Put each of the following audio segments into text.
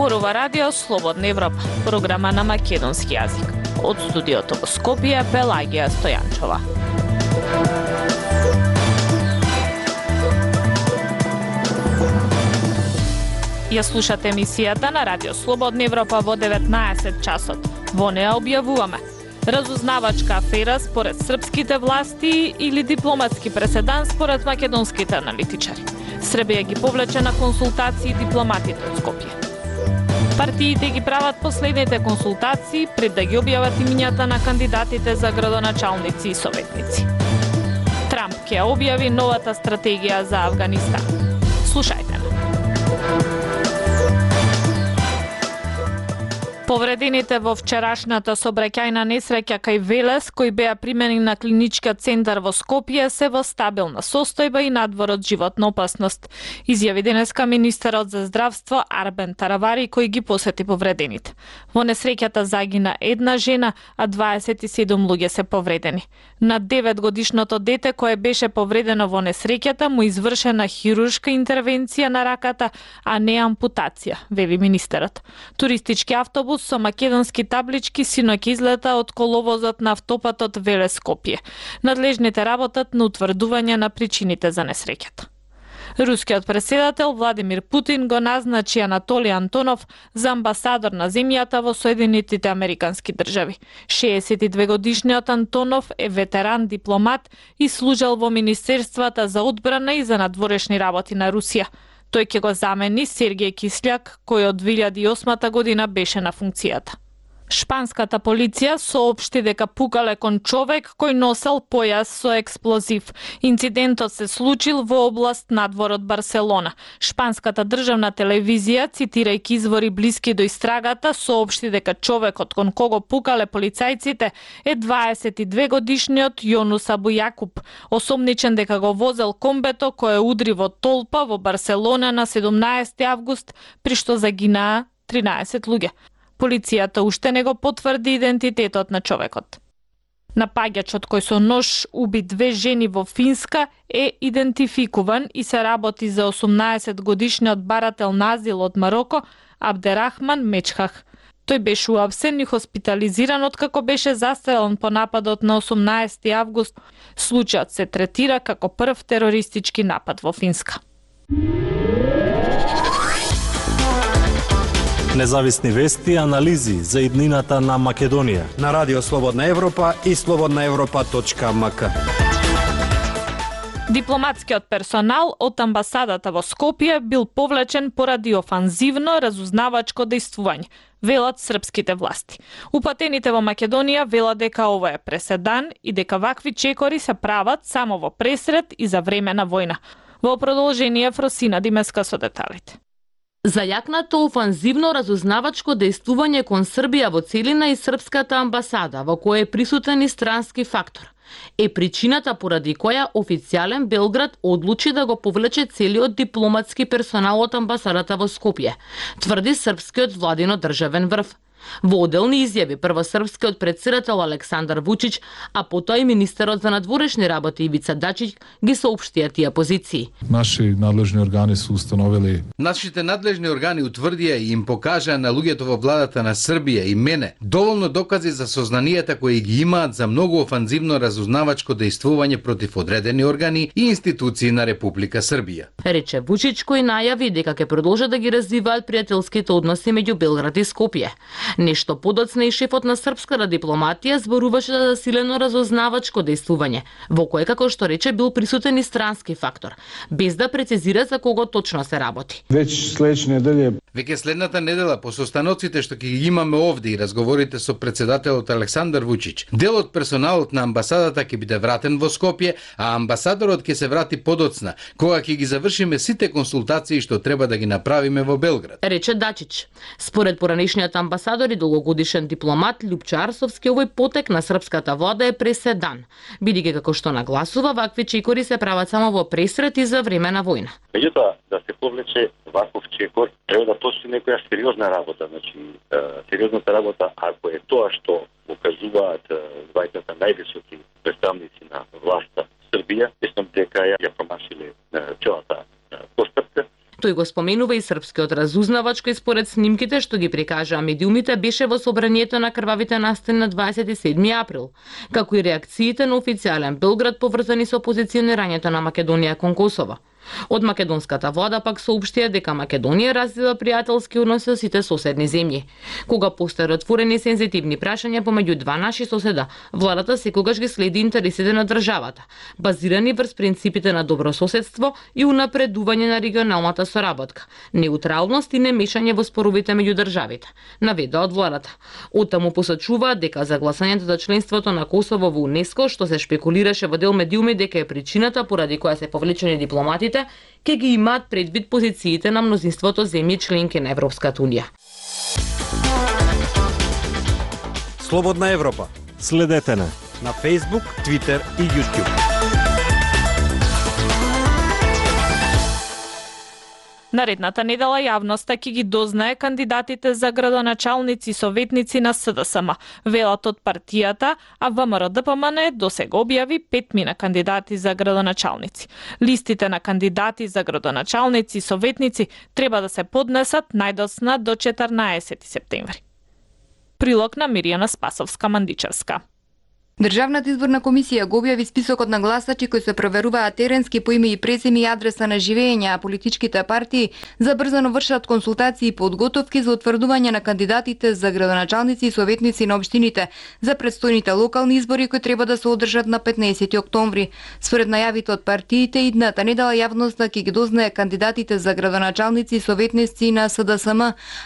Зборува Радио Слободна Европа, програма на македонски јазик. Од студиото во Скопје, Пелагија Стојанчова. Ја слушате емисијата на Радио Слободна Европа во 19 часот. Во неа објавуваме разузнавачка афера според српските власти или дипломатски преседан според македонските аналитичари. Србија ги повлече на консултации дипломатите од Скопје. Партиите ги прават последните консултации пред да ги објават имињата на кандидатите за градоначалници и советници. Трамп ќе објави новата стратегија за Авганистан. Слушајте ме. Повредените во вчерашната сообраќајна несреќа кај Велес, кои беа примени на клиничкиот центар во Скопје, се во стабилна состојба и надвор од животна опасност, изјави денеска министерот за здравство Арбен Таравари, кој ги посети повредените. Во несреќата загина една жена, а 27 луѓе се повредени. На 9-годишното дете кое беше повредено во несреќата му извршена хируршка интервенција на раката, а не ампутација, вели министерот. Туристички автобус со македонски таблички синоќ излета од коловозот на автопатот Велес Скопје. Надлежните работат на утврдување на причините за несреќата. Рускиот председател Владимир Путин го назначи Анатолий Антонов за амбасадор на земјата во Соединетите Американски држави. 62-годишниот Антонов е ветеран дипломат и служел во Министерствата за одбрана и за надворешни работи на Русија. Тој ќе го замени Сергеј Кисљак, кој од 2008 година беше на функцијата. Шпанската полиција соопшти дека пукале кон човек кој носел појас со експлозив. Инцидентот се случил во област надвор од Барселона. Шпанската државна телевизија, цитирајќи извори блиски до истрагата, соопшти дека човекот кон кого пукале полицајците е 22-годишниот Јонус Абу Јакуб, осомничен дека го возел комбето кое удри во толпа во Барселона на 17 август, при што загинаа 13 луѓе. Полицијата уште не го потврди идентитетот на човекот. Напаѓачот кој со нож уби 2 жени во Финска е идентификуван и се работи за 18-годишниот барател на азил од Мароко Абдерахман Мечхах. Тој беше уапсен и хоспитализиран откако беше застрелен по нападот на 18 август. Случајот се третира како прв терористички напад во Финска. Независни вести и анализи за иднината на Македонија на Радио Слободна Европа и slobodnaevropa.mk. Дипломатскиот персонал од амбасадата во Скопје бил повлечен поради офанзивно разузнавачко дејствување, велат српските власти. Упатените во Македонија велат дека ова е преседан и дека вакви чекори се прават само во пресред и за време на војна. Во продолжение Фросина Димеска со деталите. Зајакнато офанзивно разузнавачко дејствување кон Србија во целина и српската амбасада, во која е присутен и странски фактор, е причината поради која официјален Белград одлучи да го повлече целиот дипломатски персонал од амбасадата во Скопје, тврди српскиот владино државен врв. Во оделни изјави прво српскиот претседател Александар Вучич, а потоа и министерот за надворешни работи Ивица Дачич ги соопштија тие позиции. Нашите надлежни органи утврдија и им покажаа на луѓето во владата на Србија и мене доволно докази за сознанијата кои ги имаат за многу офанзивно разузнавачко дејствување против одредени органи и институции на Република Србија. Рече Вучич, кој најави дека ќе продолжат да ги развиваат пријателските односи меѓу Белград и Скопје. Нешто подоцна и шефот на српската дипломатија зборуваше за засилено разузнавачко дејствување, во кое, како што рече, бил присутен и странски фактор, без да прецизира за кого точно се работи. Веќе следната недела, по состаноците што ќе ги имаме овде и разговорите со председателот Александар Вучич, дел од персоналот на амбасадата ќе биде вратен во Скопје, а амбасадорот ќе се врати подоцна, кога ќе ги завршиме сите консултации што треба да ги направиме во Белград. Рече Дачич. Според поранешниот амбасадор и долгогодишен дипломат Љупчо Арсовски, овој потек на српската влада е преседан, бидејќи како што нагласува, вакви чекори се прават само во пресред и за време на војна. Меѓутоа, да се повлече ваков чекор, треба да постои некоја сериозна работа, сериозната работа, ако е тоа што покажуваат двајцата највисоки представници на власта Србија, мислам дека ја промашиле целата постапка. Тој го споменува и српскиот разузнавач кој според снимките што ги прикажаа медиумите беше во собранието на крвавите настани на 27 април, како и реакциите на официјален Белград поврзани со позиционирањето на Македонија кон Косово. Од македонската влада пак соопштија дека Македонија развива пријателски односи со сите соседни земји. Кога постојат отворени сензитивни прашања помеѓу два наши соседа, владата секогаш ги следи интересите на државата, базирани врз принципите на добрососедство и унапредување на регионалната соработка, неутралност и немешање во споровите меѓу државите, наведа од владата. Оттаму посочуваат дека за гласањето за членството на Косово во УНЕСКО, што се шпекулираше во дел медиуми дека е причината поради која се повлечени дипломатите, ке ги имаат предвид позициите на мнозинството земји членки на Европската Унија. Слободна Европа. Следете на Facebook, Twitter и YouTube. Наредната недела јавноста ќе ги дознае кандидатите за градоначалници и советници на СДСМ, велат од партијата, а ВМРО-ДПМН досега објави 5 кандидати за градоначалници. Листите на кандидати за градоначалници и советници треба да се поднесат најдоцна до 14 септември. Прилог на Миријана Спасовска-Мандичевска. Државната изборна комисија го објави списокот на гласачи кои се проверуваат теренски по име и презиме и адреса на живење, а политичките партии забрзано вршат консултации и подготовки за утврдување на кандидатите за градоначалници и советници на општините за предстојните локални избори кои треба да се одржат на 15 октомври. Според најавите од партиите, идната недела јавноста ќе ги дознае кандидатите за градоначалници и советници на СДСМ,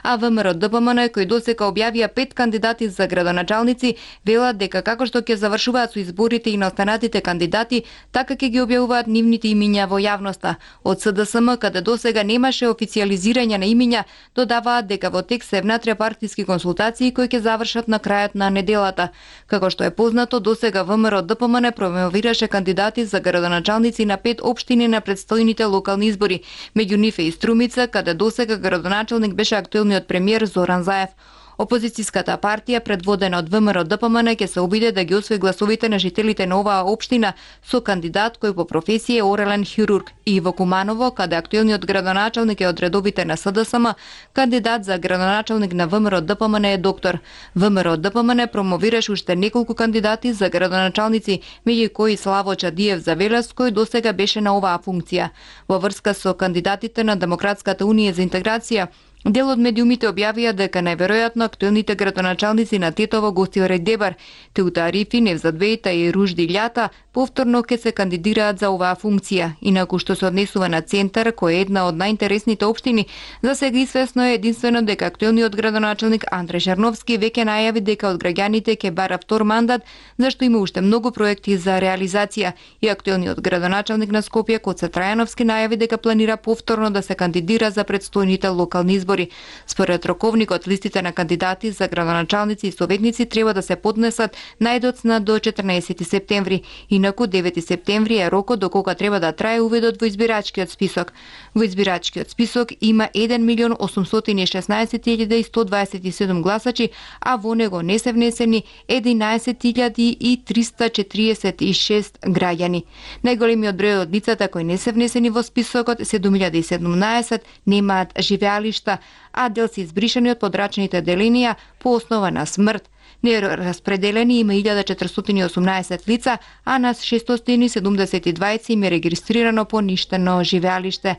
а ВМРО-ДПМН кои досега објавија 5 кандидати за градоначалници, велат дека како што ќе завршуваат со изборите и на останатите кандидати, така ќе ги објавуваат нивните имиња во јавноста. Од СДСМ, каде досега немаше официјализирање на имиња, додаваат дека во текст се внатре партиски консултации кои ќе завршат на крајот на неделата. Како што е познато, досега ВМРО-ДПМН промовираше кандидати за градоначалници на 5 општини на предстојните локални избори. Меѓу нив е и Струмица, каде досега градоначалник беше актуелниот премиер Зоран Заев. Опозицијската партија, предводена од ВМРО-ДПМН, ќе се обиде да ги освои гласовите на жителите на оваа општина со кандидат кој по професија е орелен хирург, и во Куманово, каде актуелниот градоначалник е од редовите на СДСМ, кандидат за градоначалник на ВМРО-ДПМН е доктор. ВМРО-ДПМН промовираше уште неколку кандидати за градоначалници, меѓу кои Славо Чадиев за Велес, кој досега беше на оваа функција. Во врска со кандидатите на Демократската унија за интеграција, дел од медиумите објавија дека најверојатно актуелните градоначалници на Тетово, Гостиорек Дебар, Теута Арифи, Невзат Бејта и Ружди Љата повторно ќе се кандидираат за оваа функција. Инаку што се однесува на Центар, кој е една од најинтересните општини, за сега известно е единствено дека актуелниот градоначалник Андре Жарновски веќе најави дека од граѓаните ќе бара втор мандат, зашто има уште многу проекти за реализација. И актуелниот градоначалник на Скопје, Коце Трајановски, најави дека планира повторно да се кандидира за предстојните локални избори. Според роковникот, листите на кандидати за градоначалници и советници треба да се поднесат најдоцна до 14 септември. Инаку 9 септември е рокот до кога треба да трае увидот во избирачкиот список. Во избирачкиот список има 1.816.127 гласачи, а во него не се внесени 11.346 граѓани. Најголемиот број од лицата кои не се внесени во списокот, 7.017, немаат живеалишта, а дел се избришани од подрачните деленија по основа на смрт. Нераспределени има 1418 лица, а на 672 им е регистрирано поништено живеалиште.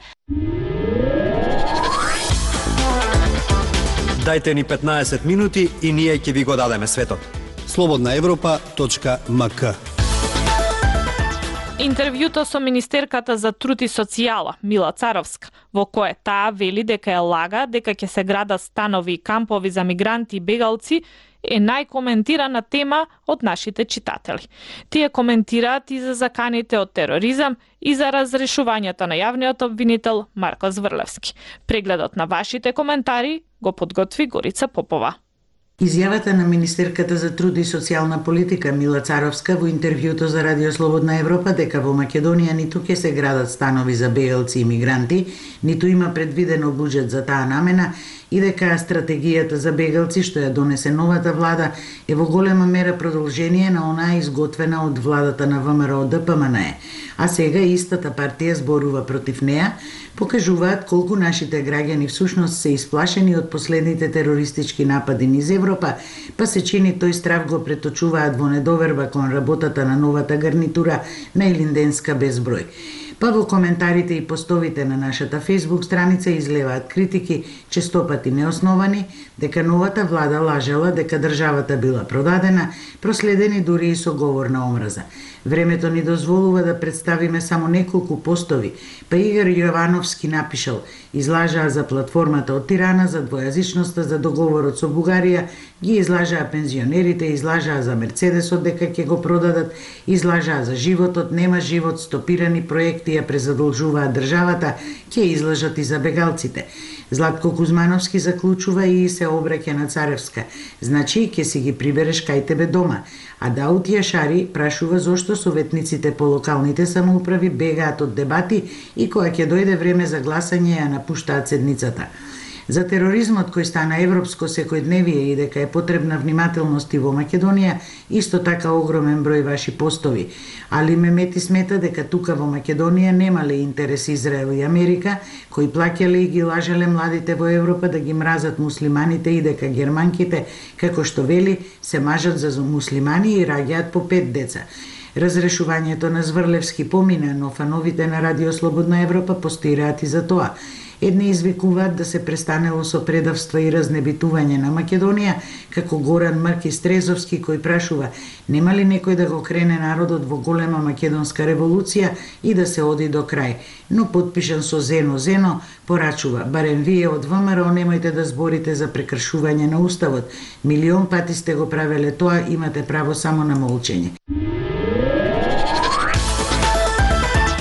Дајте ни 15 минути и ние ќе ви го дадеме светот. slobodnaevropa.mk. Интервјуто со министерката за труд и социјала Мила Царовска, во кое таа вели дека е лага дека ќе се градат станови и кампови за мигранти и бегалци, е најкоментирана тема од нашите читатели. Тие коментираат и за заканите од тероризам и за разрешувањето на јавниот обвинител Марко Зврлевски. Прегледот на вашите коментари го подготви Горица Попова. Изјавата на министерката за труд и социјална политика Мила Царовска во интервјуто за Радио Слободна Европа дека во Македонија ниту ќе се градат станови за бегалци и мигранти, ниту има предвидено буџет за таа намена, и дека стратегијата за бегалци што ја донесе новата влада е во голема мера продолжение на онаа изготвена од владата на ВМРО ДПМНЕ, а сега истата партија зборува против неа, покажуваат колку нашите граѓани всушност се исплашени од последните терористички напади низ Европа, па се чини тој страв го преточуваат во недоверба кон работата на новата гарнитура на Илинденска безброј. Па во коментарите и постовите на нашата Facebook страница излеваат критики, честопати неосновани, дека новата влада лажела дека државата била продадена, проследени дури и со говор на омраза. Времето ни дозволува да представиме само неколку постови, па Игор Јовановски напишал: излажаа за платформата од Тирана, за двојазичноста, за договорот со Бугарија, ги излажаа пензионерите, излажаа за Мерцедесот дека ќе го продадат, излажаа за животот, нема живот, стопирани проекти ја презадолжуваат државата, ќе излажат и за бегалците. Златко Кузмановски заклучува и се обраќа на Царевска. Значи, ќе си ги прибереш кај тебе дома. А Даут Јашари прашува зошто советниците по локалните самоуправи бегаат од дебати и кога ќе дојде време за гласање ја напуштаат седницата. За тероризмот кој стана европско секојдневие и дека е потребна внимателност и во Македонија, исто така огромен број ваши постови. Али Мемети смета дека тука во Македонија немале интерес Израел и Америка, кои плаќале и ги лажеле младите во Европа да ги мразат муслиманите и дека германките, како што вели, се мажат за муслимани и раѓаат по 5 деца. Разрешувањето на Зврлевски помина, но фановите на Радио Слободна Европа постираат и за тоа. Едни извикуваат да се престанело со предавства и разнебитување на Македонија, како Горан Маркис Трезовски кој прашува: нема ли некој да го крене народот во голема македонска револуција и да се оди до крај? Но подпишан со Зено, порачува: барем вие од ВМРО немојте да зборите за прекршување на уставот. Милион пати сте го правеле тоа, имате право само на молчење.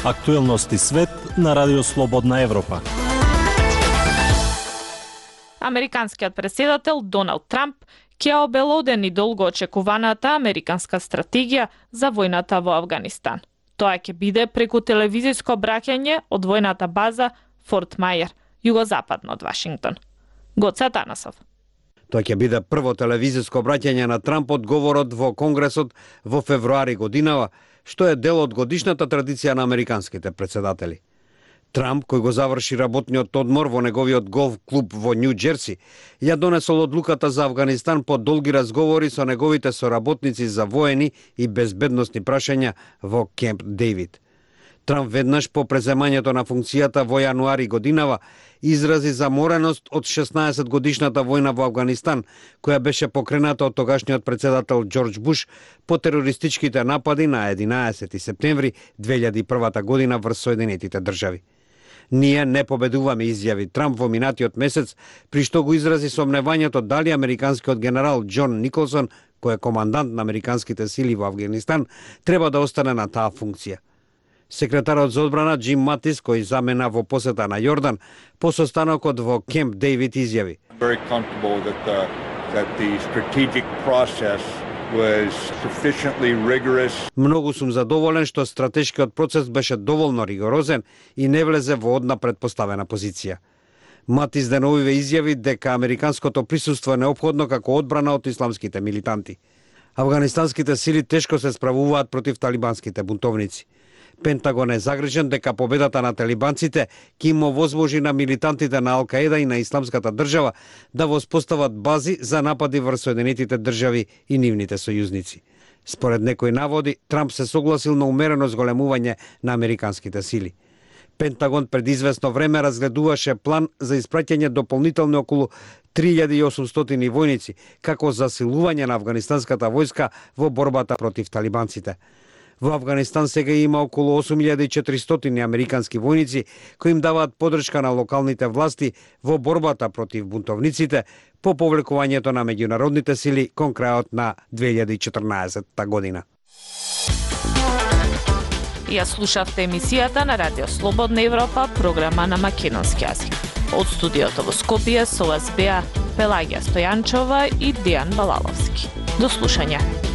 Актуелности свет на Радио Слободна Европа. Американскиот претседател Доналд Трамп ќе обелодени долго очекуваната американска стратегија за војната во Авганистан. Тоа ќе биде преку телевизиско обраќање од војната база Форт Мајер, југозападно од Вашингтон. Гоце Атанасов. Тоа ќе биде прво телевизиско обраќање на Трамп од говорот во Конгресот во февруари годинава, што е дел од годишната традиција на американските претседатели. Трамп, кој го заврши работниот одмор во неговиот голф клуб во Нью Џерси, ја донесол одлуката за Авганистан по долги разговори со неговите соработници за воени и безбедносни прашања во Кемп Дейвид. Трамп веднаш по преземањето на функцијата во јануари годинава изрази замореност од 16 годишната војна во Авганистан, која беше покрената од тогашниот претседател Џорџ Буш по терористичките напади на 11 септември 2001 година врз Соединетите држави. Ние не победуваме, изјави Трамп во минатиот месец, при што го изрази сомневањето дали американскиот генерал Џон Николсон, кој е командант на американските сили во Авганистан, треба да остане на таа функција. Секретарот за одбрана Џим Матис, кој замена во посета на Јордан, по состанокот во Кемп Дейвид изјави: многу сум задоволен што стратешкиот процес беше доволно ригорозен и не влезе во одна предпоставена позиција. Матис деновиве изјави дека американското присуство е неопходно како одбрана од исламските милитанти. Авганистанските сили тешко се справуваат против талибанските бунтовници. Пентагон е загрижен дека победата на талибанците ќе им овозможи на милитантите на Ал-Каеда и на Исламската држава да воспостават бази за напади врз Соединетите држави и нивните сојузници. Според некои наводи, Трамп се согласил на умерено зголемување на американските сили. Пентагон пред известно време разгледуваше план за испраќање дополнителни околу 3800 војници како засилување на афганистанската војска во борбата против талибанците. Во Авганистан сега има околу 8400 американски војници кои им даваат поддршка на локалните власти во борбата против бунтовниците по повлекувањето на меѓународните сили кон крајот на 2014 година. Ја слушавте емисијата на Радио Слободна Европа, програма на македонски јазик. Од студиото во Скопје со вас беа Пелагија Стојанчова и Дејан Балаловски. До слушање.